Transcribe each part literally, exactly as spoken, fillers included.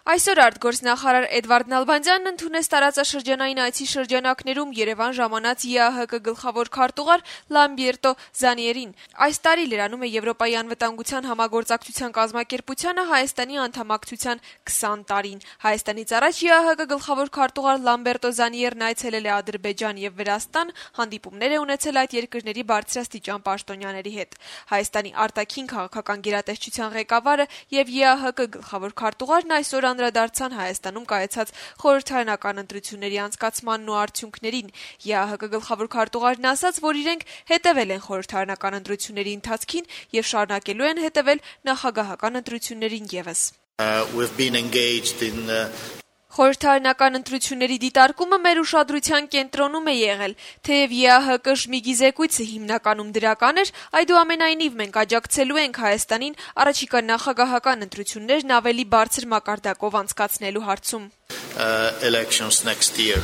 Այսօր արտգործնախարար Էդվարդ Նալբանդյանն ընդունեց տարածաշրջանային այցի շրջանակներում Երևան ժամանած ԵԱՀԿ գլխավոր քարտուղար Լամբերտո Զանիերին։ Այս տարի լրանում է Եվրոպայի անվտանգության համագործակցության կազմակերպությանը Հայաստանի անդամակցության քսան տարին։ Հայաստանից առաջ ԵԱՀԿ գլխավոր քարտուղար Լամբերտո Զանիերն այցելել է Ադրբեջան եւ Վրաստան, հանդիպումներ է ունեցել այդ երկրների բարձրաստիճան պաշտոնյաների հետ։ Հայաստանի արտաքին քաղաքական գերատեսչության ղեկավարը եւ ԵԱՀԿ գլխավոր քարտուղարն այսօր անդրադարձան Հայաստանում կայացած խորհրդարանական ընտրությունների անցկացմանն ու արդյունքներին։ ԵԱՀԿ գլխավոր քարտուղարն ասաց, որ իրենք հետևել են խորհրդարանական ընտրությունների ընթացքին եւ շարունակելու են հետևել նախագահական ընտրություններին եւս։ Uh, we've been engaged in uh... Խորհրդարանական ընտրությունների դիտարկումը մեր ուշադրության կենտրոնում է եղել, թեև ԵԱՀԿ շմիգի զեկույցը հիմնականում դրական էր, այդուամենայնիվ մենք աջակցելու ենք Հայաստանին առաջիկա նախագահական ընտրություններն ավելի բարձր մակարդակով անցկացնելու հարցում։ uh, elections next year.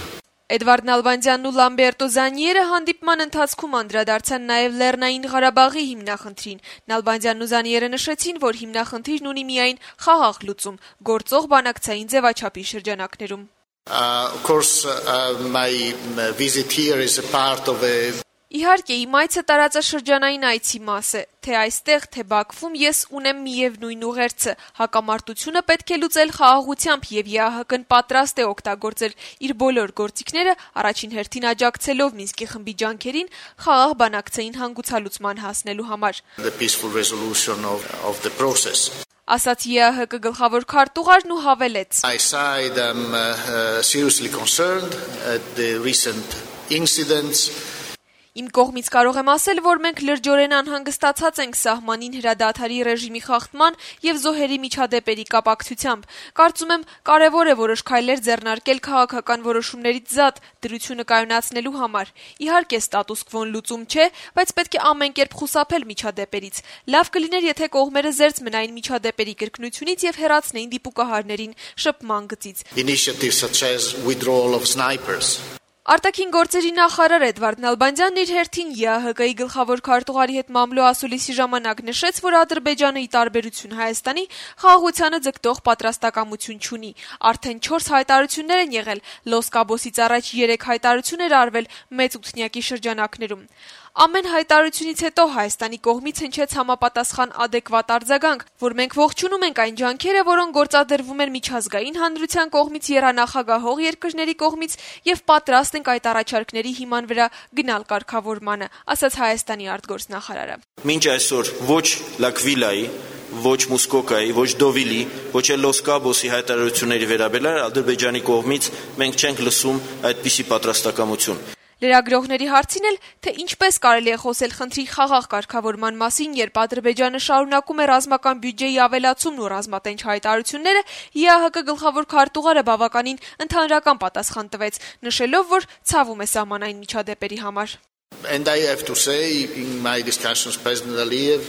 Էդվարդ Նալբանդյանն ու Լամբերտո Զանիերը հանդիպման ընթացքում անդրադարձան նաև Լեռնային Ղարաբաղի հիմնախնդրին։ Նալբանդյանն ու Զանիերը նշեցին, որ հիմնախնդիրն ունի միայն խաղաղ լուծում, գործող բանակցային ձևաչափի շրջանակներում։ Uh, of course, uh, my visit here is a part of a Իհարկե, իմ այցը տարածաշրջանային այցի մաս է, թե այստեղ, թե Բաքվում ես ունեմ միևնույն ուղերձը, հակամարտությունը պետք է լուծել խաղաղությամբ եւ ԵԱՀԿ-ն պատրաստ է օգտագործել իր բոլոր գործիքները, առաջին հերթին աջակցելով Մինսկի խմբի ջանքերին խաղաղ բանակցային հանգուցալուծման հասնելու համար։ The peaceful resolution of, of the process. Ասաց ԵԱՀԿ գլխավոր քարտուղարն ու հավելեց. My side am uh, uh, seriously concerned at the recent incidents. Իմ կողմից կարող եմ ասել, որ մենք լրջորեն անհանգստացած ենք սահմանին հրադադարի ռեժիմի խախտման եւ զոհերի միջադեպերի կապակցությամբ։ Կարծում եմ, կարեւոր է որոշ քայլեր ձեռնարկել քաղաքական որոշումներից զատ դրությունը կայունացնելու համար։ Իհարկե, ստատուս քվոն լուծում չէ, բայց պետք է ամեն կերպ խուսափել միջադեպերից։ Լավ կլիներ, եթե կողմերը զերծ մնային միջադեպերի կրկնությունից եւ հեռացնեին դիպուկահարներին շփման գծից։ Initiatives such as withdrawal of snipers. Արտաքին գործերի նախարար Էդվարդ Նալբանդյանն իր հերթին ԵԱՀԿ-ի գլխավոր քարտուղարի հետ մամլո ասուլիսի ժամանակ նշեց, որ Ադրբեջանը ի տարբերություն Հայաստանի խաղաղությանը ձգտող պատրաստակամություն չունի։ Արդեն չորս հայտարարություններ են եղել, Լոս Կաբոսից առաջ երեք հայտարարություն էր արվել մեծ ութնյակի շրջանակներում։ Ամեն հայտարարությունից հետո Հայաստանի կողմից հնչեց համապատասխան adekvat արձագանք, որ մենք ողջունում ենք այն ջանքերը, որոնք գործադրվում են միջազգային հանրության կողմից, եռանախագահող երկրների կողմից եւ պատրաստ ենք այդ առաջարկների հիման վրա գնալ կարգավորմանը, ասաց Հայաստանի արտգործնախարարը։ Մինչ այսօր ոչ Լակվիլայի, ոչ Մուսկոկայի, ոչ Դովիլի, ոչ էլ Լոս Կաբոսի հայտարարությունների վերաբերյալ Ադրբեջանի կողմից մենք չենք լսում այդպիսի պատրաստակամություն։ Լրագրողների հարցին էլ, թե ինչպես կարելի է խոսել խնդրի խաղաղ կարգավորման մասին, երբ Ադրբեջանը շարունակում է ռազմական բյուջեի ավելացումն ու ռազմատենչ հայտարարությունները, ԵԱՀԿ գլխավոր քարտուղարը բավականին ընդհանրական պատասխան տվեց, նշելով, որ ցավում է սահմանային միջադեպերի համար։ And I have to say, in my discussions with President Aliyev,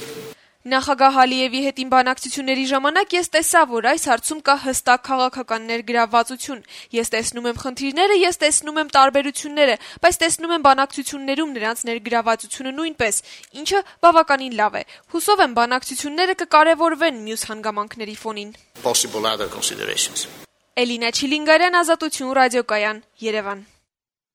Նախագահ Ալիևի հետ իմ բանակցությունների ժամանակ ես տեսա, որ այս հարցում կա հստակ քաղաքական ներգրավվածություն։ Ես տեսնում եմ խնդիրները, ես տեսնում եմ տարբերությունները, բայց տեսնում եմ բանակցություններում նրանց ներգրավվածությունը նույնպես, ինչը բավականին լավ է։ Հուսով եմ բանակցությունները կկարևորվեն մյուս հանգամանքների ֆոնին։ possible other considerations. Էլինա Չիլինգարյան, Ազատություն ռադիոկայան, Երևան։